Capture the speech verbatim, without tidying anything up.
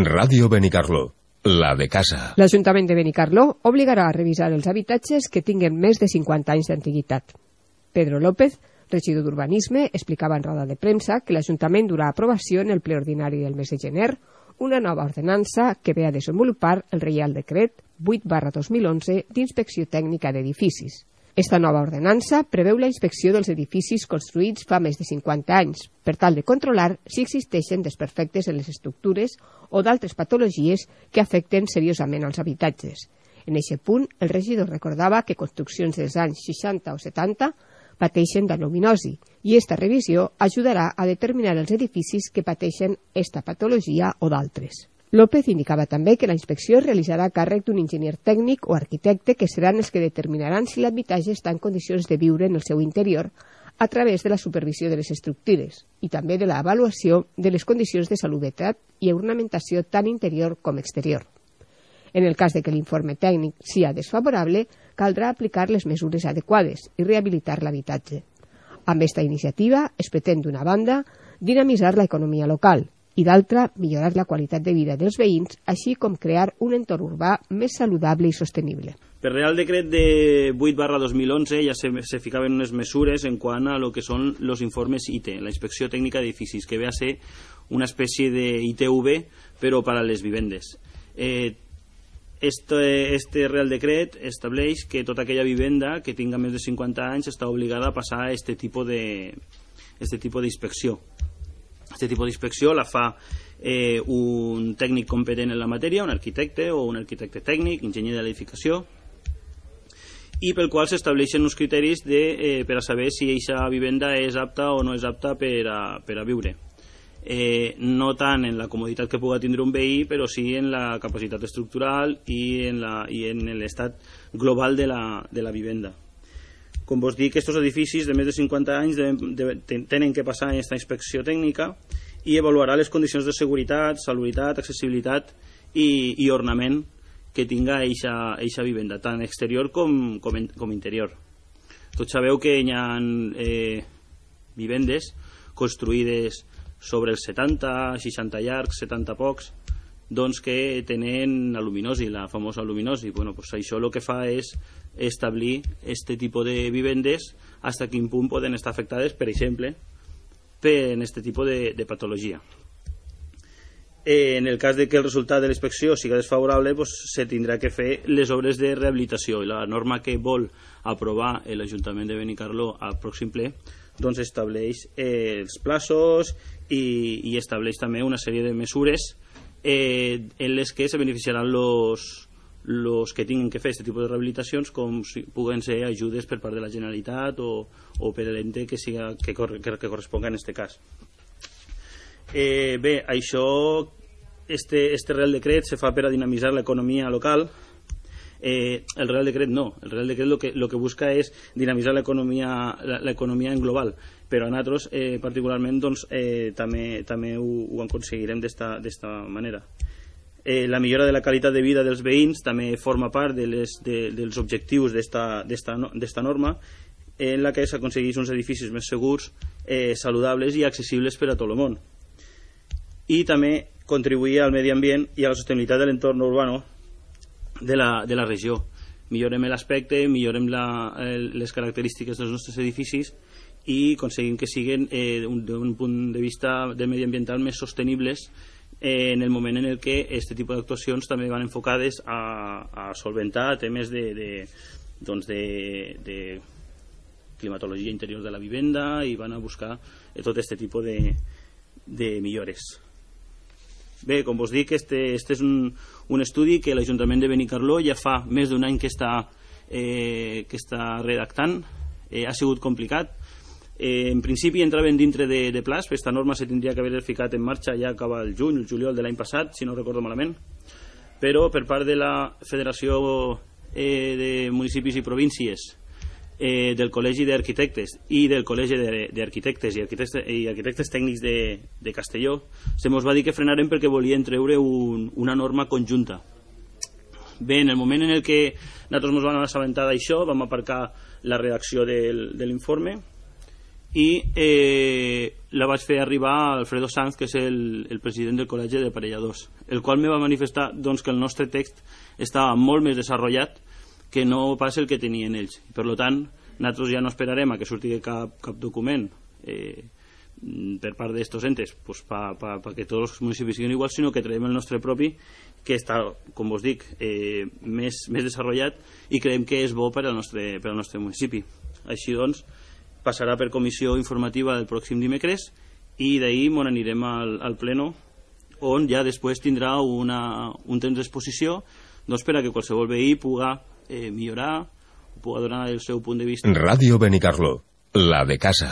Ràdio Benicarló, la de casa. L'Ajuntament de Benicarló obligarà a revisar els habitatges que tinguen més de cinquanta anys d'antiguitat. Pedro López, regidor d'Urbanisme, explicava en roda de premsa que l'Ajuntament durà a aprovació en el ple ordinari del mes de gener una nova ordenança que ve a desenvolupar el Reial Decret vuit barra dos mil onze d'Inspecció Tècnica d'Edificis. Esta nova ordenança preveu la inspecció dels edificis construïts fa més de cinquanta anys, per tal de controlar si existeixen desperfectes en les estructures o d'altres patologies que afecten seriosament als habitatges. En aquest punt, el regidor recordava que construccions dels anys seixanta o setanta pateixen d'aluminosi i esta revisió ajudarà a determinar els edificis que pateixen esta patologia o d'altres. López indicava també que la inspecció es realitzarà a càrrec d'un enginyer tècnic o arquitecte que seran els que determinaran si l'habitatge està en condicions de viure en el seu interior a través de la supervisió de les estructures i també de l'avaluació de les condicions de salubritat i ornamentació tant interior com exterior. En el cas de que l'informe tècnic sia desfavorable, caldrà aplicar les mesures adequades i rehabilitar l'habitatge. Amb esta iniciativa es pretén, d'una banda, dinamitzar l'economia local i d'altra, millorar la qualitat de vida dels veïns, així com crear un entorn urbà més saludable i sostenible. Per Real Decret de vuit barra dos mil onze ja se, se ficaven unes mesures en quant a lo que són els informes I T, la Inspecció Tècnica d'Edificis, que ve a ser una espècie de I T V, però per a les vivendes. Eh, este, este Real Decret estableix que tota aquella vivenda que tinga més de cinquanta anys està obligada a passar a este tipus de, este tipus d'inspecció. Este tipus d'inspecció la fa eh, un tècnic competent en la matèria, un arquitecte o un arquitecte tècnic, enginyer de l'edificació, i pel qual s'estableixen uns criteris de, eh, per a saber si aquesta vivenda és apta o no és apta per a, per a viure. Eh, no tant en la comoditat que pugui tindre un veí, però sí en la capacitat estructural i en, la, i en l'estat global de la, de la vivenda. Com vos dic, aquests edificis de més de cinquanta anys de, de, tenen que passar aquesta inspecció tècnica i avaluarà les condicions de seguretat, salubritat, accessibilitat i, i ornament que tinga eixa vivenda, tant exterior com, com, com interior. Tots sabeu que hi ha eh, vivendes construïdes sobre els setanta, seixanta llargs, setanta pocs, doncs que tenen aluminosi, la famosa aluminosi. Bueno, pues això el que fa és establir este tipus de vivendes fins a quin punt poden estar afectades, per exemple, per este tipus de, de patologia. Eh, en el cas de que el resultat de la inspecció sigui desfavorable, pues, se tindrà que fer les obres de rehabilitació, i la norma que vol aprovar l'Ajuntament de Benicarló al pròxim ple doncs estableix eh, els plaços i, i estableix també una sèrie de mesures eh, en les que se beneficiaran los los que tinguin que fer aquest tipus de rehabilitacions, com si puguen ser ajudes per part de la Generalitat o, o per l'ente que, siga, que, cor, que, que corresponga en aquest cas. Eh, bé, això, este, este Real Decret se fa per a dinamitzar l'economia local. Eh, el Real Decret no, el Real Decret lo que, lo que busca és dinamitzar l'economia l'economia en global, però a nosaltres eh, particularment doncs, eh, també, també ho, ho aconseguirem d'esta manera. Eh, la millora de la qualitat de vida dels veïns també forma part de les, de, dels objectius d'esta norma, en la que s'aconsegueix uns edificis més segurs, eh, saludables i accessibles per a tot el món. I també contribuir al medi ambient i a la sostenibilitat de l'entorn urbà de la, de la regió. Millorem l'aspecte, millorem la, les característiques dels nostres edificis i aconseguim que siguin eh, d'un punt de vista del mediambiental més sostenibles eh, en el moment en el que aquest tipus d'actuacions també van enfocades a, a solventar temes de, de, doncs de, de climatologia interior de la vivenda i van a buscar eh, tot aquest tipus de, de millores. Bé, com vos dic, este, este és un, un estudi que l'Ajuntament de Benicarló ja fa més d'un any que està, eh, que està redactant. Eh, ha sigut complicat. Eh, en principi entraven dintre de, de plaç, aquesta norma se tindria que haver ficat en marxa ja acaba el juny, el juliol de l'any passat, si no recordo malament, però per part de la Federació eh, de Municipis i Províncies, eh, del Col·legi d'Arquitectes i del Col·legi d'Arquitectes i Arquitectes, i Arquitectes Tècnics de, de Castelló, se mos va dir que frenarem perquè volien treure un, una norma conjunta. Bé, en el moment en el que nosaltres ens vam assabentar d'això, vam aparcar la redacció del, de l'informe i eh, la vaig fer arribar a Alfredo Sanz, que és el, el president del Col·legi d'Aparelladors, el qual me va manifestar doncs, que el nostre text estava molt més desenvolupat que no pas el que tenien ells. Per tant, nosaltres ja no esperarem a que surti cap, cap document eh, per part d'estos entes pues, per pa, pa que tots els municipis siguin iguals, sinó que traiem el nostre propi, que està, com vos dic, eh, més, més desenvolupat, i creiem que és bo per al nostre, per al nostre municipi. Així doncs, passarà per comissió informativa el pròxim dimecres i d'ahir m'on anirem al, al pleno, on ja després tindrà una, un temps d'exposició doncs, per a que qualsevol veí puga eh, millorar, puga donar el seu punt de vista. Ràdio Benicarló, la de casa.